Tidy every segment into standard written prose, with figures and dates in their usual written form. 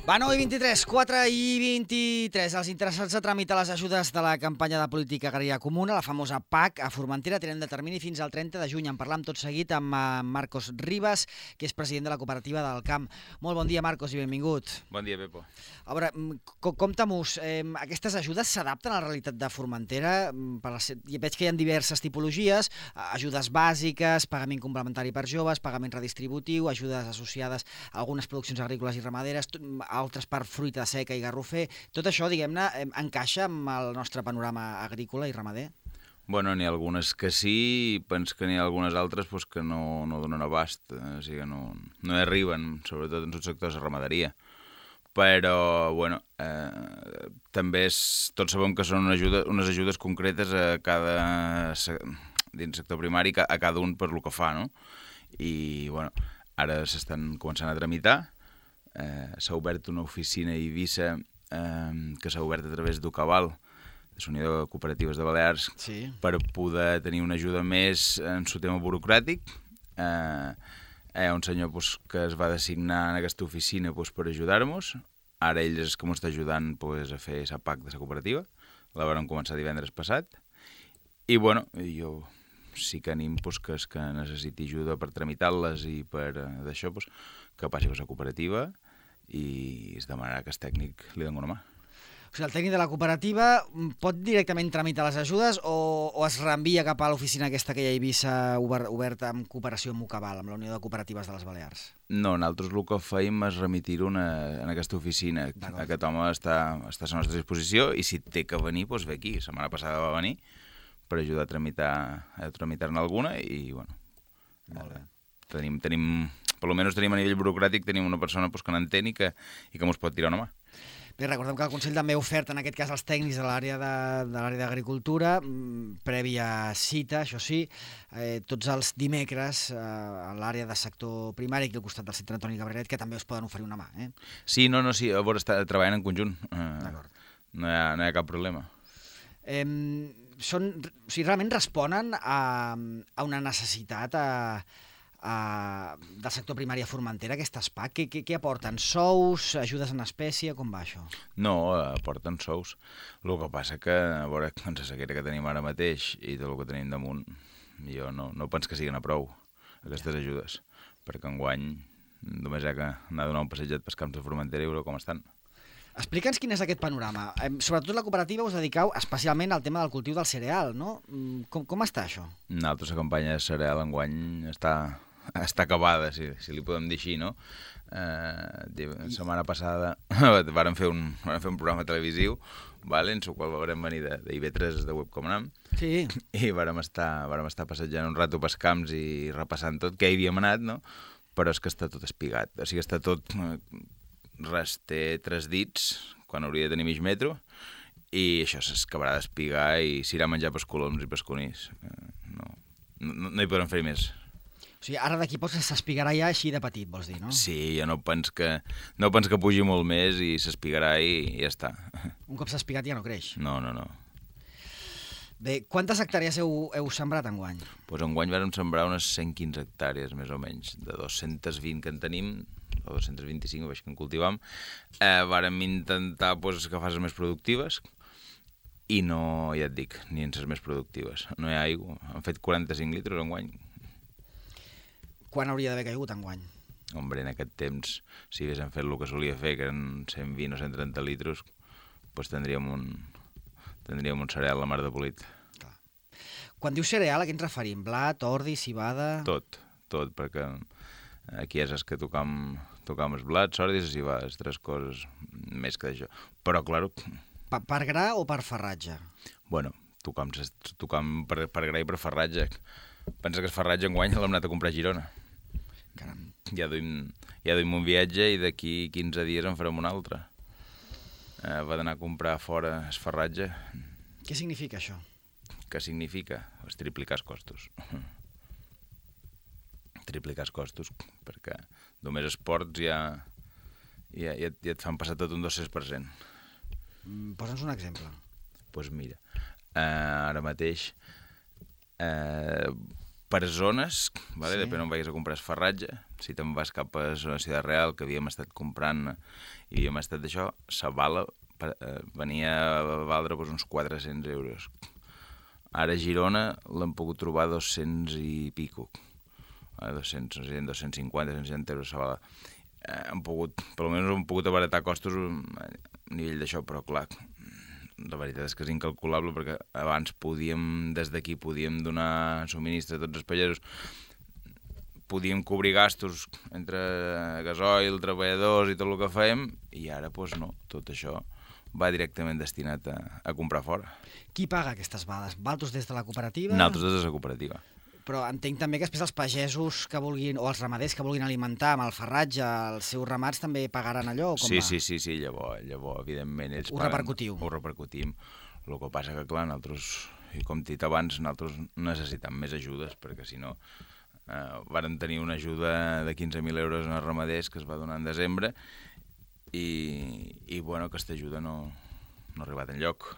Va, 9:23, 4:23. Els interessats a tramitar les ajudes de la campanya de política agrària comuna, la famosa PAC, a Formentera, tenen de termini fins al 30 de juny. En parlam tot seguit amb Marcos Ribas, que és president de la cooperativa del Camp. Molt bon dia, Marcos, i benvingut. Bon dia, Pepo. A veure, compta-mos, aquestes ajudes s'adapten a la realitat de Formentera? Veig que hi ha diverses tipologies, ajudes bàsiques, pagament complementari per joves, pagament redistributiu, ajudes associades a algunes produccions agrícoles i ramaderes, altres per fruita seca i garrofer. Tot això, diguem-ne, encaixa amb el nostre panorama agrícola i ramader? Bueno, n'hi ha algunes que sí, i penso que n'hi ha algunes altres pues, que no donen abast, o sigui, no hi arriben, sobretot en els sectors de ramaderia. Però, bueno, també tots sabem que són unes ajudes concretes a cada, dins el sector primari, a cada un per lo que fa, no? I, bueno, ara s'estan començant a tramitar. S'ha obert una oficina a Eivissa que s'ha obert a través d'Ucaval, de la Unió de Cooperatives de Balears, sí, per poder tenir una ajuda més en el tema burocràtic. Hi ha un senyor que es va designar en aquesta oficina per ajudar-nos. Ara ell és que m'està ajudant a fer la PAC de la cooperativa. La vam començar divendres passat. I bueno, jo sí que anim que és que necessiti ajuda per tramitar-les i per d'això, que passi per la cooperativa i es demanarà que el tècnic li doni una mà. O sigui, el tècnic de la cooperativa pot directament tramitar les ajudes o es reenvia cap a l'oficina aquesta que hi ha a Eivissa oberta en cooperació amb Ucaval, amb la Unió de Cooperatives de les Balears? No, nosaltres el que fèiem és remitir-ho en aquesta oficina. Aquest home està a la nostra disposició i si té que venir, doncs ve aquí. La setmana passada va venir per ajudar a tramitar-ne alguna i, bueno, tenim, per almenys tenim a nivell burocràtic, tenim una persona que n'entén i que ens pot tirar una mà. Bé, recordem que el Consell també ha ofert, en aquest cas, als tècnics de l'àrea d'agricultura, prèvia cita, això sí, tots els dimecres a l'àrea de sector primari, aquí al costat del centre Antoni Cabreret, que també us poden oferir una mà. Sí, sí, a veure, està treballant en conjunt. No hi ha cap problema. O sigui, realment responen a una necessitat del sector primari a Formentera, aquestes PAC? Què aporten? Sous, ajudes en espècie, com va això? No, aporten sous. El que passa que, a veure, amb la sequera que tenim ara mateix i tot el que tenim damunt, jo no penso que siguin a prou, aquestes ajudes, perquè enguany només hi ha que anar a donar un passejat pels camps de Formentera i veure com estan. Explica'ns quin és aquest panorama. Sobretot la cooperativa us dediqueu especialment al tema del cultiu del cereal, no? Com està això? Nosaltres la campanya de cereal enguany està acabada, si li podem dir així, no? La setmana passada vàrem fer un programa televisiu, en el qual vam venir d'IV3 de Webcomnam, sí, i vàrem estar passejant un rato pels camps i repassant tot què hi havíem anat, no? Però és que està tot espigat, o sigui, està tot... Res, té 3 dits, quan hauria de tenir mig metro, i això s'acabarà d'espigar i s'irà a menjar pels coloms i pels conills. No hi podrem fer més. O sigui, ara d'aquí poc s'espigarà ja així de petit, vols dir, no? Sí, jo no penso que pugi molt més i s'espigarà i ja està. Un cop s'ha espigat ja no creix? No. Bé, quantes hectàrees heu sembrat enguany? Doncs enguany vam sembrar unes 115 hectàrees, més o menys, de 220 que en tenim, o 225, veig que en cultivam. Vàrem intentar agafar les més productives i no, ja et dic, ni en les més productives. No hi ha aigua. Han fet 45 litres enguany. Quan hauria d'haver caigut enguany? Hombre, en aquest temps, si haguéssim fet el que solia fer, que eren 120 o 130 litres, doncs tindríem un cereal a la mar de polit. Clar. Quan dius cereal, a què ens referim? Blat, ordi, civada... Tot, perquè aquí és que tocam els blats, ordi i la civada, les 3 coses més que d'això. Però, clar... Per gra o per farratge? Bueno, tocam per gra i per farratge. Pensa que el farratge enguany l'hem anat a comprar a Girona. Caram. Ja duim un viatge i d'aquí 15 dies en farem un altre. Va d'anar a comprar fora el farratge. Què significa això? Què significa? És triplicar els costos. Triplicar els costos, perquè només els ports ja et fan passar tot un 200%. Posa'ns un exemple. Doncs mira, ara mateix per zones, vale? Sí. Depèn on vagis a comprar esfarratge. Si te'n vas cap a la Ciutat Real, que havíem estat comprant i havíem estat d'això, la bala venia a valdre doncs, uns 400 euros. Ara a Girona l'hem pogut trobar 200 i pico. 200, 250, 260 euros la bala. Hem pogut, per almenys hem pogut abaratar costos a nivell d'això, però clar, la veritat és que és incalculable perquè abans des d'aquí podíem donar subministre a tots els pagesos, podíem cobrir gastos entre gasoil, treballadors i tot el que fèiem, i ara doncs no, tot això va directament destinat a comprar fora. Qui paga aquestes bales? Valtos des de la cooperativa? Nosaltres des de la cooperativa. Però entenc també que després els pagesos que vulguin, o els ramaders que vulguin alimentar amb el farratge els seus ramats també pagaran allò? O com va? Sí, llavors, evidentment, ells Ho paguen. repercutiu. Ho repercutim. El que passa que, clar, nosaltres, i com t'he dit abans, nosaltres necessitem més ajudes, perquè si no, vàrem tenir una ajuda de 15.000 euros en els ramaders que es va donar en desembre, i bueno, aquesta ajuda no ha arribat enlloc.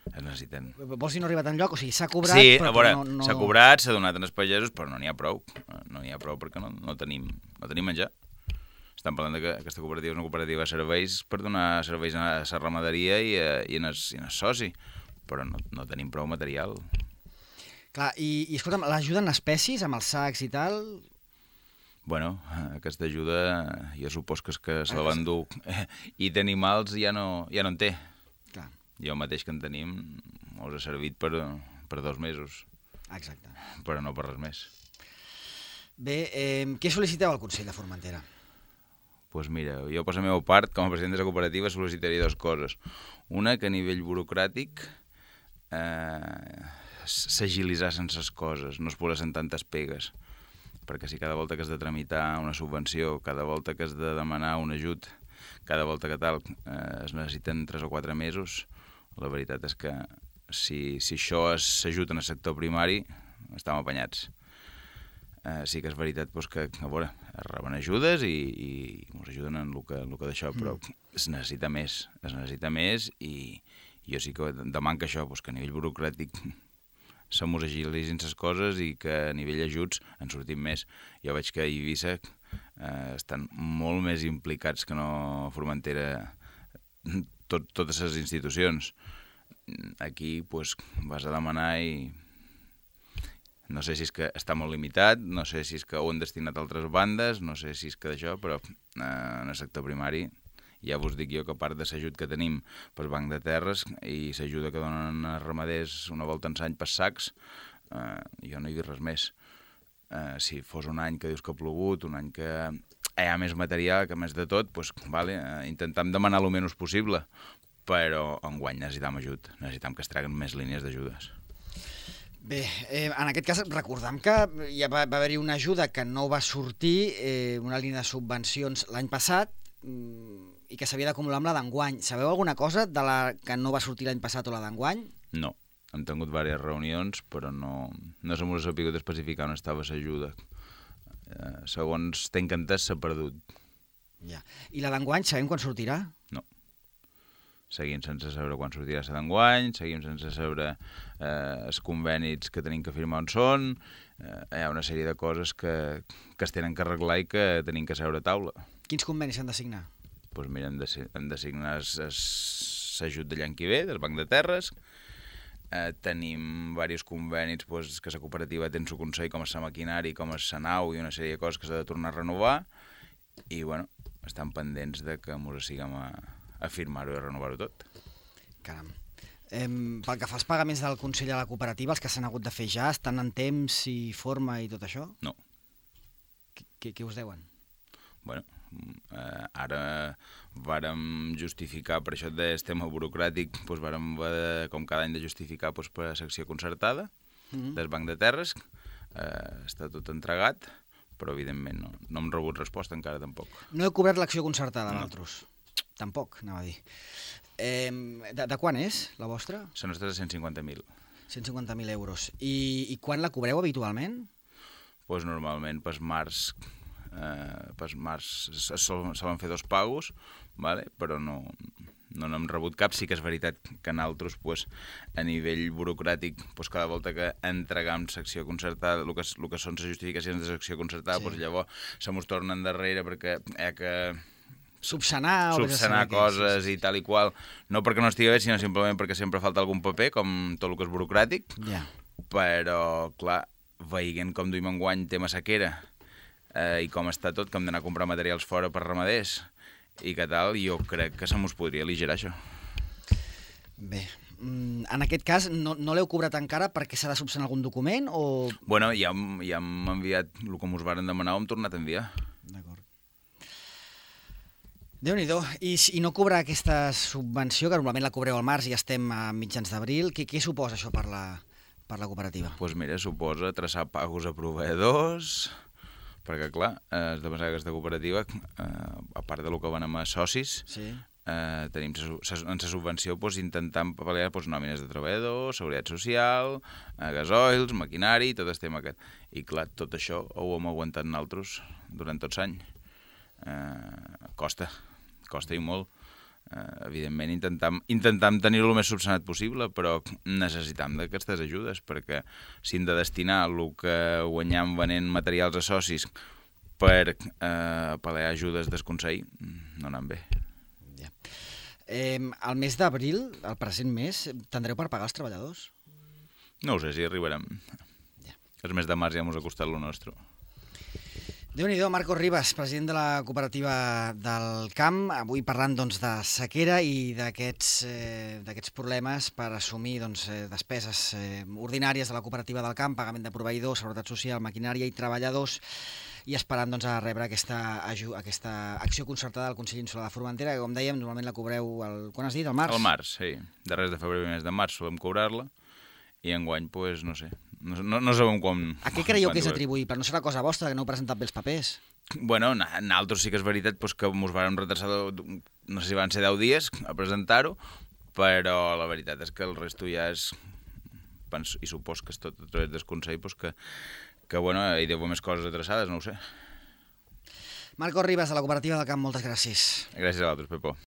Es necessiten. Vols dir no ha arribat enlloc? O sigui, s'ha cobrat, sí, però a veure, no... s'ha cobrat, s'ha donat als pagesos, però no n'hi ha prou. No n'hi ha prou perquè no tenim menjar. Estem parlant que aquesta cooperativa és una cooperativa de serveis per donar serveis a la ramaderia i en el soci, però no tenim prou material. Clar, i escolta'm, l'ajuda en espècies, amb els sacs i tal... Bueno, aquesta ajuda jo supos que és que se la van dur i d'animals ja no en té. Clar. Jo mateix que en tenim us ha servit per 2 mesos. Exacte. Però no per res més. Bé, què sol·liciteu al Consell de Formentera? Doncs mira, jo per la meva part, com a president de la cooperativa, sol·licitaria 2 coses. Una, que a nivell burocràtic s'agilitzassen les coses, no es posessin tantes pegues, perquè si cada volta que has de tramitar una subvenció, cada volta que has de demanar un ajut, cada volta que tal, es necessiten 3 o 4 mesos, la veritat és que si això s'ajuda en el sector primari, estem apanyats. Sí que és veritat doncs, que a veure, es reben ajudes i ens ajuden en el que d'això, però es necessita més i jo sí que demano que això, doncs, que a nivell burocràtic se mos agilitzin les coses i que a nivell ajuts en sortim més. Jo veig que a Eivissa estan molt més implicats que no a Formentera totes les institucions. Aquí doncs, vas a demanar i no sé si és que està molt limitat, no sé si és que ho han destinat a altres bandes, no sé si és que d'això, però en el sector primari ja vos dic jo que a part de l'ajut que tenim pel banc de terres i l'ajuda que donen els ramaders una volta en l'any per sacs, jo no hi dic res més. Si fos un any que dius que ha plogut, un any que hi ha més material, que més de tot, doncs, vale, intentem demanar el menys possible, però enguany necessitem ajut, necessitem que es traguen més línies d'ajudes. Bé, en aquest cas recordem que ja va haver-hi una ajuda que no va sortir, una línia de subvencions l'any passat, i que s'havia d'acumular amb la d'enguany. Sabeu alguna cosa de la que no va sortir l'any passat o la d'enguany? No, hem tingut diverses reunions, però no se m'ha sabut especificar on estava l'ajuda. Segons tenc entès, s'ha perdut. Ja. I la d'enguany sabem quan sortirà? No. Seguim sense saber quan sortirà la d'enguany, seguim sense saber els convenis que tenim que firmar on són, hi ha una sèrie de coses que es tenen que arreglar i que tenim que seure a taula. Quins convenis s'han de signar? Doncs mira, hem de signar l'ajut de l'any que ve, del Banc de Terres, tenim diversos convenis doncs, que la cooperativa té en el Consell, com la maquinari, com la nau i una sèrie de coses que s'ha de tornar a renovar, i bueno, estan pendents de que ens siguem a firmar-ho i a renovar-ho tot. Caram. Pel que fa als pagaments del Consell a la cooperativa, els que s'han hagut de fer ja, estan en temps i forma i tot això? No. Què us deuen? Bueno, ara vàrem justificar, per això del tema burocràtic, doncs vàrem, com cada any, de justificar doncs, per a secció concertada del Banc de Terres. Està tot entregat, però evidentment no hem rebut resposta encara tampoc. No heu cobrat l'acció concertada, vosaltres? Tampoc, anava a dir. De quan és, la vostra? La nostra és de 150.000. 150.000 euros. I quan la cobreu habitualment? Doncs normalment per març per març solen fer 2 pagos, vale? Però no n'hem rebut cap. Sí que és veritat que nosaltres, pues, a nivell burocràtic, pues, cada volta que entregam secció concertada, el que són les justificacions de secció concertada, pues, llavors se mos tornen darrere perquè hi ha que subsanar coses i tal i qual, no perquè no estigui bé, sinó simplement perquè sempre falta algun paper, com tot el que és burocràtic, però, clar, veient com duim enguany tema sequera i com està tot, que hem d'anar a comprar materials fora per ramaders i que tal, jo crec que se mos podria aligerar això. Bé, en aquest cas no l'heu cobrat encara perquè s'ha de subsanar algun document o...? Bueno, ja hem enviat el que mos varen demanar, ho hem tornat a enviar. D'acord. Déu-n'hi-do. I no cobrar aquesta subvenció, que normalment la cobreu al març i ja estem a mitjans d'abril, què suposa això per la cooperativa? Doncs mira, suposa traçar pagos a proveïdors, perquè clar, has de pensar que aquesta cooperativa, a part del que venem a socis, tenim en la subvenció intentant pal·liar nòmines de treballadors, seguretat social, gasoils, maquinari, tot el tema aquest. I clar, tot això ho hem aguantat nosaltres durant tots l'any. Costa i molt. Evidentment intentam tenir-ho el més subsanat possible, però necessitam d'aquestes ajudes, perquè si hem de destinar el que guanyam venent materials a socis per pal·liar ajudes del Consell, no anem bé. El mes d'abril, el present mes, tindreu per pagar els treballadors? No ho sé, si arribarem. El mes de març ja mos ha costat lo nostre. Déu-n'hi-do, Marcos Ribas, president de la cooperativa del Camp, avui parlant de sequera i d'aquests problemes per assumir despeses ordinàries de la cooperativa del Camp, pagament de proveïdors, seguretat social, maquinària i treballadors, i esperant a rebre aquesta acció concertada del Consell Insular de Formentera, que com dèiem, normalment la cobreu, quan has dit, al març? Al març, sí. Darrers de febrer i mes de març solem cobrar-la, i enguany, doncs, no sé, no sabem com... A què creieu que és atribuir? Però no serà cosa vostra, que no heu presentat bé els papers? Bueno, nosaltres sí que és veritat que mos vàrem retrasar, no sé si van ser 10 dies a presentar-ho, però la veritat és que el resto ja és... I supos que és tot a través del Consell, que bueno, hi deu haver més coses adreçades, no ho sé. Marcos Ribas, de la cooperativa del Camp, moltes gràcies. Gràcies a vosaltres, Pepo.